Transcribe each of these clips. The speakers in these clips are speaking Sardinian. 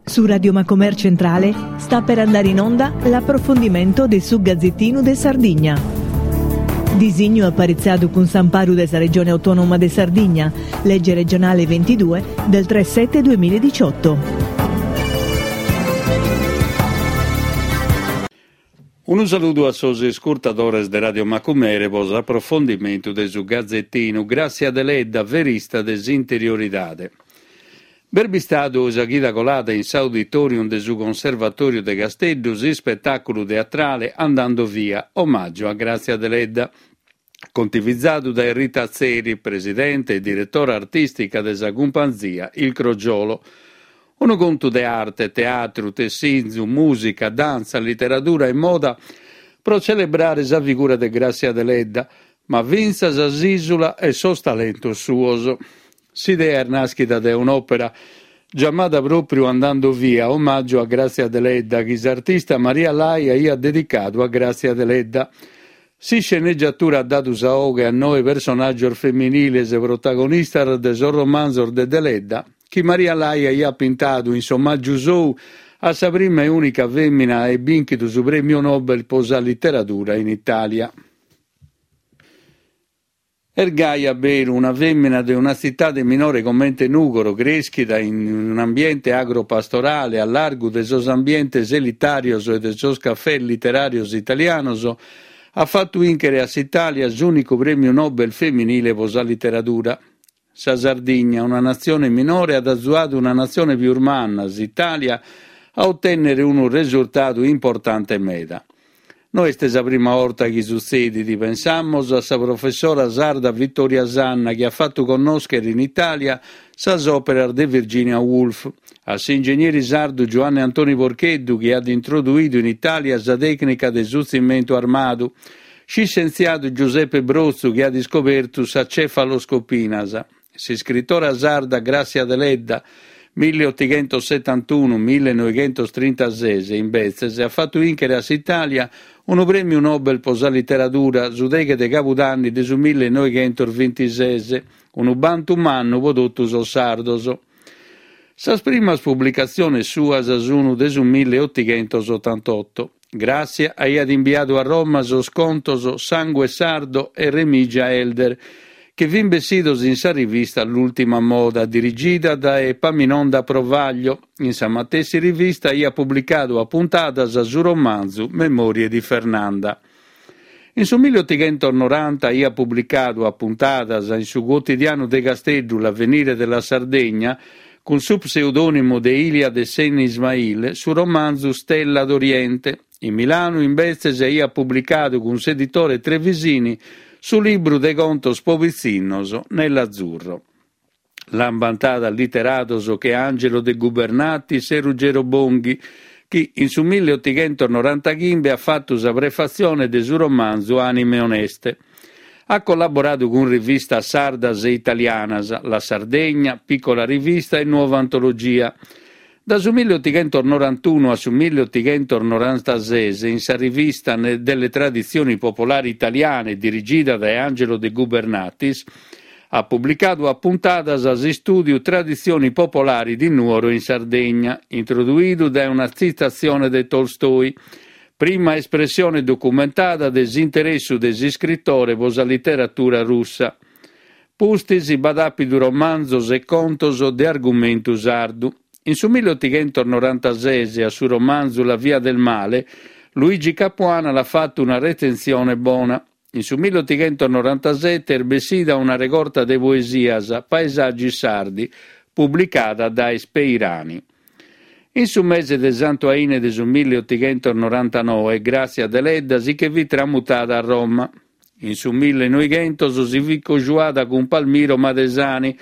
Su Radio Macomer Centrale sta per andare in onda l'approfondimento de su Gazettinu de Sardigna. Disignu aparitzadu cun s'amparu de sa Regione Autonoma de Sardigna, Legge regionale 22 del 3 7 2018. Unu saludu a sos iscurtadores de Radio Macumere pro s'aprofondimentu de su Gazetinu Gràssia Deledda, verista de s'interioridade. B'est bistadu sa chida colada in s'auditorium de su Conservatòriu de Casteddu s'ispetàculu teatrale Andando via, omàgiu a Gràtzia Deledda, contivizadu dae Rita Atzeri, presidente e diretora artìstica de sa cumpanzia Il Crogiolo. Unu contu de arte, teatru, tessinzu, mùsica, dantza, literadura e moda pro celebrare sa figura de Gràssia Deledda, ma fintzas s'ìsula e sos talentos suos. S'idea est nàschida dae un'òpera giamada pròpriu Andando via, omàgiu a Gràtzia Deledda, chi s'artista Maria Lai aiat dedicadu a Gràtzia Deledda. S'iscenegiatura at dadu sa 'oghe a noe personàgios feminiles protagonistas de sos romanzos de Deledda chi Maria Lai aiat pintadu in s'omàgiu sou a sa prima e ùnica fèmina a aer bìnchidu su Prèmiu Nobel pro sa literadura in Itàlia. Est gai a beru, una fèmina de una tzitade minore comente Nùgoro, crèschida in un'ambiente agropastorale a largu de sos ambientes elitàrios e de sos cafès literàrios italianos, at fatu 'ìnchere a s'Itàlia s'ùnicu prèmiu Nobel feminile pro sa literadura. Sa Sardigna, una natzione minore, at azuadu una natzione pius manna, s'Itàlia, a otènnere unu resurtadu importante meda. No est sa prima 'orta chi sutzedit, pensamus a sa professora sarda Vittoria Sanna chi at fatu connòschere in Itàlia sas òperas de Virginia Woolf, a s'ingegneri sardu Giuanne Antoni Porcheddu chi at introduidu in Itàlia sa tècnica de su tzimentu armadu, s'iscientziadu Giuseppe Brotzu chi at iscobertu sa cefaloscopinas, S'iscritora sarda Gràssia Deledda, milliotighentosetantunu millenoighentostrintases, imbetzes, at fatu 'ìnchere a s'Itàlia unu prèmiu Nobel pro sa literadura su deghe de cabudanni de su millenoighentosbintises, unu bantu mannu pro totu sos sardos. Sas primas publicatziones suas sun de su milliotighentosotantoto. Gràssia aiat imbiadu a Roma sos contos Sangue Sardo e Remigia Elder, chi fin bessidos in sa rivista L'Ultima Moda, dirigida dae Epaminonda Provaglio. In sa matessi rivista aiat publicadu a puntadas su romanzu Memorie di Fernanda. In su milliotighentos-noranta aiat publicadu a puntadas in su cuotidianu de Casteddu L'Avvenire della Sardegna, cun su pseudònimu de Ilia de Sen Ismail, su romanzu Stella d'Oriente. In Milanu, imbetzes, aiat publicadu cun s'editore Trevisini su libru de contos po pitzinnos Nell'azzurro. L'ant bantada literados che Angelo De Gubernatis e Ruggero Bonghi, chi in su milliotighentos-norantaghimbe at fatu sa prefatzione de su romanzu Anime oneste. At collaboradu cun rivistas sardas e italianas, La Sardegna, Piccola Rivista e Nuova Antologia. Da su milliotighentos-norantunu a su milliotighentos-norantases in sa rivista delle Tradizioni Popolari Italiane dirigida dae Angelo De Gubernatis, at publicadu a puntadas s'istùdiu Tradizioni Popolari di Nuoro in Sardegna, introduidu dae una tzitatzione de Tolstoi, prima espressione documentada de s'interessu de s'iscritore pro sa literatura russa. Pustis b'at àpidu romanzos e contos de argumentu sardu. In su milliotighentos-norantases a su romanzu La via del male, Luigi Capuana l'at fatu una retzensione bona. In su milliotighentos-norantasete est bessida una regorta de poesias, Paesaggi sardi, publicada dae Speirani. In su mese de Santu Aine de su milliotighentos-norantanoe, Gràssia Deledda si che fit tramutada a Roma. In su millenoighentos si fit cojuada cun Palmiro Madesani,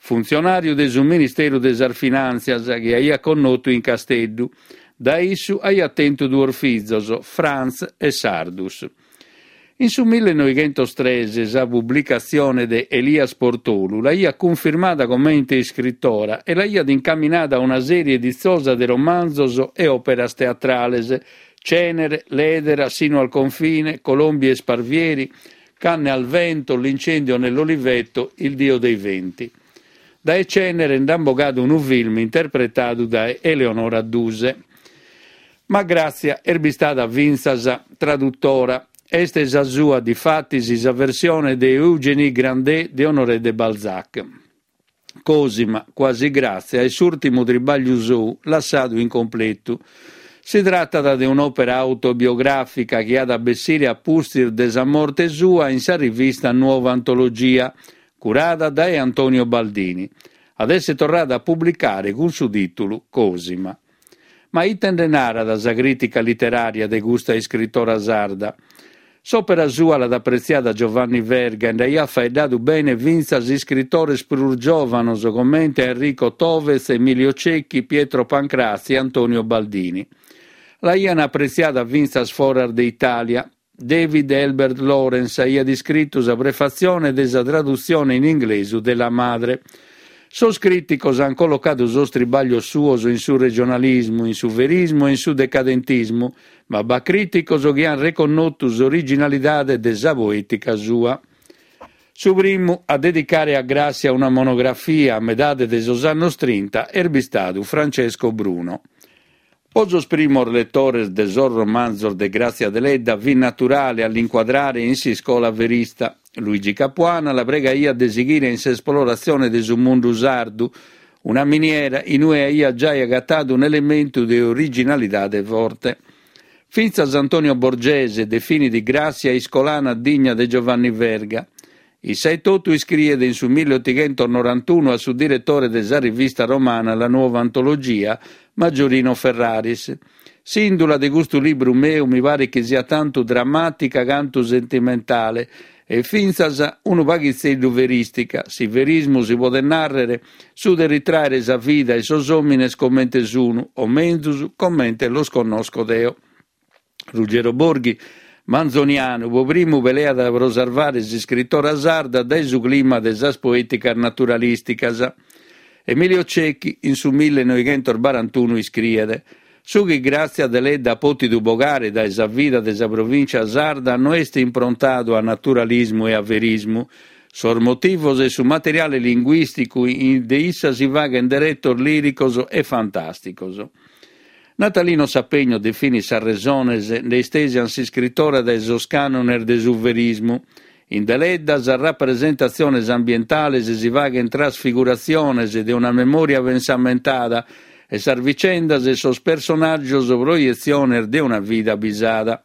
funtzionàriu de su Ministeru de sas Finàntzias, chi aiat connotu in Casteddu. Dae issu aiat tentu duos fizos, Franz e Sardus. In su millenoighentos-tres sa publicatzione de Elias Portolu l'aiat cunfirmada comente iscritora e l'aiat incaminada a una sèrie ditzosa de romanzos e òperas teatrales, Cenere, L'edera, Sino al confine, Colombi e sparvieri, Canne al vento, L'incendio nell'oliveto, Il dio dei venti. Dae Cenere nd'ant bogadu unu film interpretadu dae Eleonora Duse. Ma Grazia est bistada fintzas tradutora. Est sa sua, difatis, sa versione de Eugénie Grandet de Honoré de Balzac. Cosima, quasi Grazia, est s'ùrtimu tribàgliu sou, lassadu incompletu. Si tratat de un'òpera autobiogràfica chi at a bessire a pustis de sa morte sua in sa rivista Nuova Antologia, curada dae Antonio Baldini. At èssere torrada a publicare cun su tìtulu Cosima. Ma ite nde narat sa crìtica literària de custa iscritora sarda? S'òpera sua l'at apretziada Giovanni Verga e nd'aiat faeddadu bene fintzas iscritores prus giòvanos comente a Enrico Thovez, Emilio Cecchi, Pietro Pancrazzi e Antonio Baldini. L'aian apretziada fintzas foras de Itàlia. David Elbert Lawrence aiat iscritu sa prefatzione de sa tradutzione in inglesu de La Madre. Sos crìticos ant collocadu sos tribàglios suos in su regionalismu, in su verismu e in su decadentismu, ma b'at crìticos chi ant reconnotu s'originalidade de sa poètica sua. Su primu a dedicare a Gràssia una monografia, a medade de sos annos trinta, est bistadu Francesco Bruno. Po sos primos letores de sos romanzos de Gràtzia Deledda fit naturale a l'incuadrare in s'iscola verista. Luigi Capuana la pregaiat de sighire in s'esploratzione de su mundu sardu, una miniera in ue aiat giai agatadu un'elementu de originalidade forte. Fintzas Antonio Borgese definit Gràssia iscolana digna de Giovanni Verga. Issa etotu iscriet in su milleotighentos-norantunu a su diretore de sa rivista romana La Nuova Antologia, Maggiorino Ferraris, S'ìndula de custu libru meu mi paret chi siat tantu dramàtica cantu sentimentale e fintzas unu paghitzeddu verìstica, si verismu si podet nàrrere su de ritràere sa vida e sos òmines comente sun, o menzus, comente los connosco deo. Ruggero Borghi, manzonianu, pro primu peleat pro sarvare s'iscritora sarda dae su clima de sas poèticas naturalìsticas. Emilio Cecchi in su millenoighentosbarantunu iscriet, Su chi Gràtzia Deledda at pòtidu bogare dae sa vida de sa provìncia sarda no est improntadu a naturalismu e a verismu. Sos motivos e su materiale linguìsticu de issa si faghent deretos lìricos e fantàsticos. Natalino Sapegno definit sas resones nde istèsian s'iscritora dae sos cànones de su verismu. In Deledda sas rapresentatziones ambientales si faghent trasfiguratziones de una memòria pensamentada e sas vicendas e sos personàgios proietziones de una vida bisada.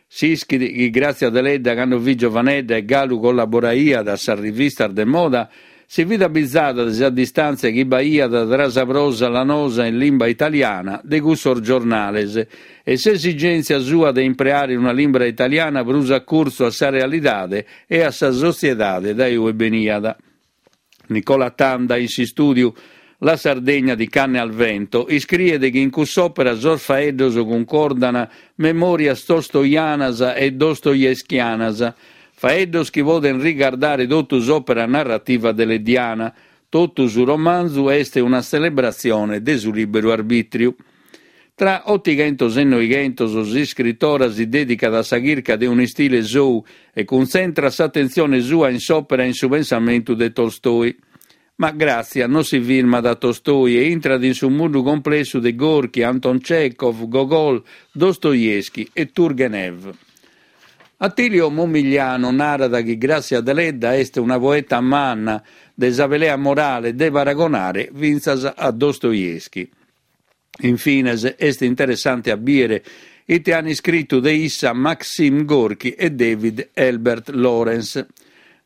S'ischit chi Gràtzia Deledda cando fit giovanedda e galu collaboraiat a sas rivistas de moda, si fit abizada de sa distàntzia chi b'aiat tra sa prosa lanosa in limba italiana de cussos giornales e s'esigèntzia sua de impreare una limba italiana prus a curtzu a sa realidade e a sa sotziedade dae ue beniat. Nicola Tanda in s'istùdiu La Sardegna di Canne al vento iscriet chi in cuss'òpera sos faeddos cuncordan memòrias tolstoianas e dostoevskianas, faeddos chi poden rigardare totu s'òpera narrativa deleddiana, totu su romanzu est una tzelebratzione de su lìberu arbìtriu. Tra otighentos e noighentos s'iscritora si dèdicat a sa chirca de un'istile sou e cuntzentrat s'atentzione sua in s'òpera e in su pensamentu de Tolstoi. Ma Gràtzia non si firmat a Tolstoi e intrat in su mundu complessu de Gorki, Anton Cechov, Gogol, Dostoevskij e Turgenev. Attilio Momigliano narat chi Gràssia Deledda est una poeta manna de sa pelea morale de paragonare fintzas a Dostoevskij. In fines, est interessante a bìere ite an iscritu de issa Maxim Gorki e David Elbert Lawrence.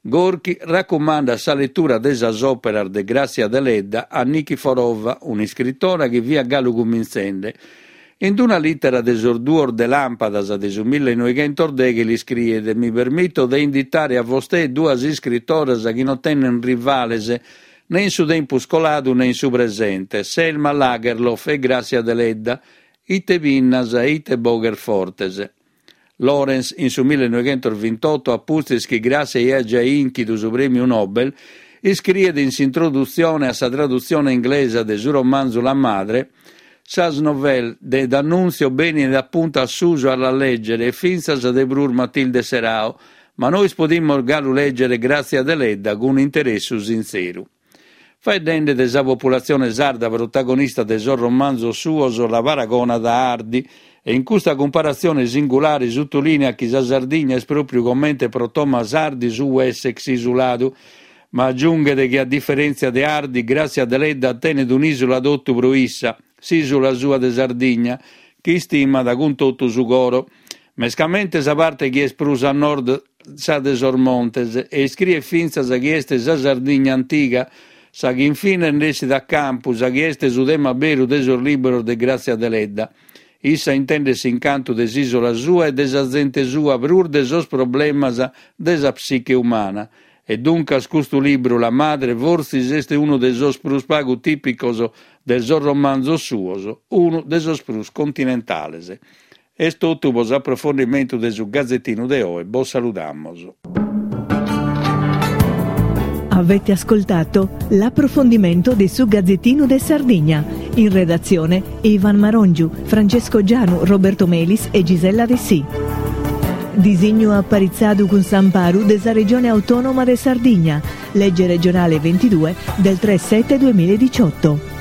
Gorki racumandat sa letura de sas òperas de Gràssia Deledda a Nikiforova, un'iscritora chi fiat galu cumintzende. In una lìtera de sos duos de làmpadas de su millenoighentosdeghe l'iscriet, Mi permito de inditare a vostè duas iscritoras chi non tenen rivales Ne in su tempus coladu ne in su presente, Selma Lagerlof e Gràssia Deledda, ite pinnas e ite boghes fortes. Lawrence, in su millenoighentosvintotto, a pustis chi Gràssia aiat giai ìnchidu su prèmiu Nobel, iscriet in s'introdutzione a sa tradutzione inglesa de su romanzu La madre, Sas novelle de D'Annunzio benint a punta a susu a las lègere e fintzas de prus Matilde Serao, Ma nois podimus galu lègere Gràtzia Deledda cun interessu sintzeru. Faeddende de sa populatzione sarda protagonista de sos romanzos suos la paragonat a Hardy e in custa cumparatzione singulare sutulìneat chi sa Sardigna est pròpriu comente pro Thomas Hardy su Wessex isuladu. Ma agiunghet chi a diferèntzia de Hardy, Gràtzia Deledda tenet un'ìsula totu pro issa, s'ìsula sua de Sardigna, chi istimat cun totu su coro. Mescamente sa parte chi est prus a nord, sa de sos montes, e iscriet fintzas chi est sa Sardigna antiga, sa chi in fines nd'essit a campu, sa chi est su tema beru de sos libros de Gràtzia Deledda. Issa intendet s'incantu de s'ìsula sua e de sa zente sua prus de sos problemas de sa psiche umana. E duncas custu libru La madre fortzis est unu de sos prus pagu tìpicos de sos romanzos suos, unu de sos prus continentales. Est totu pro s'aprofondimentu de su Gazetinu de oe, bos saludamos. Avete ascoltato l'approfondimento de su Gazzettino de Sardigna. In redazione Ivan Marongiu, Francesco Gianu, Roberto Melis e Gisella Dessì. Disignu aparitzadu cun s'amparu de sa Regione Autonoma de Sardigna, legge regionale 22 del 3 7 2018.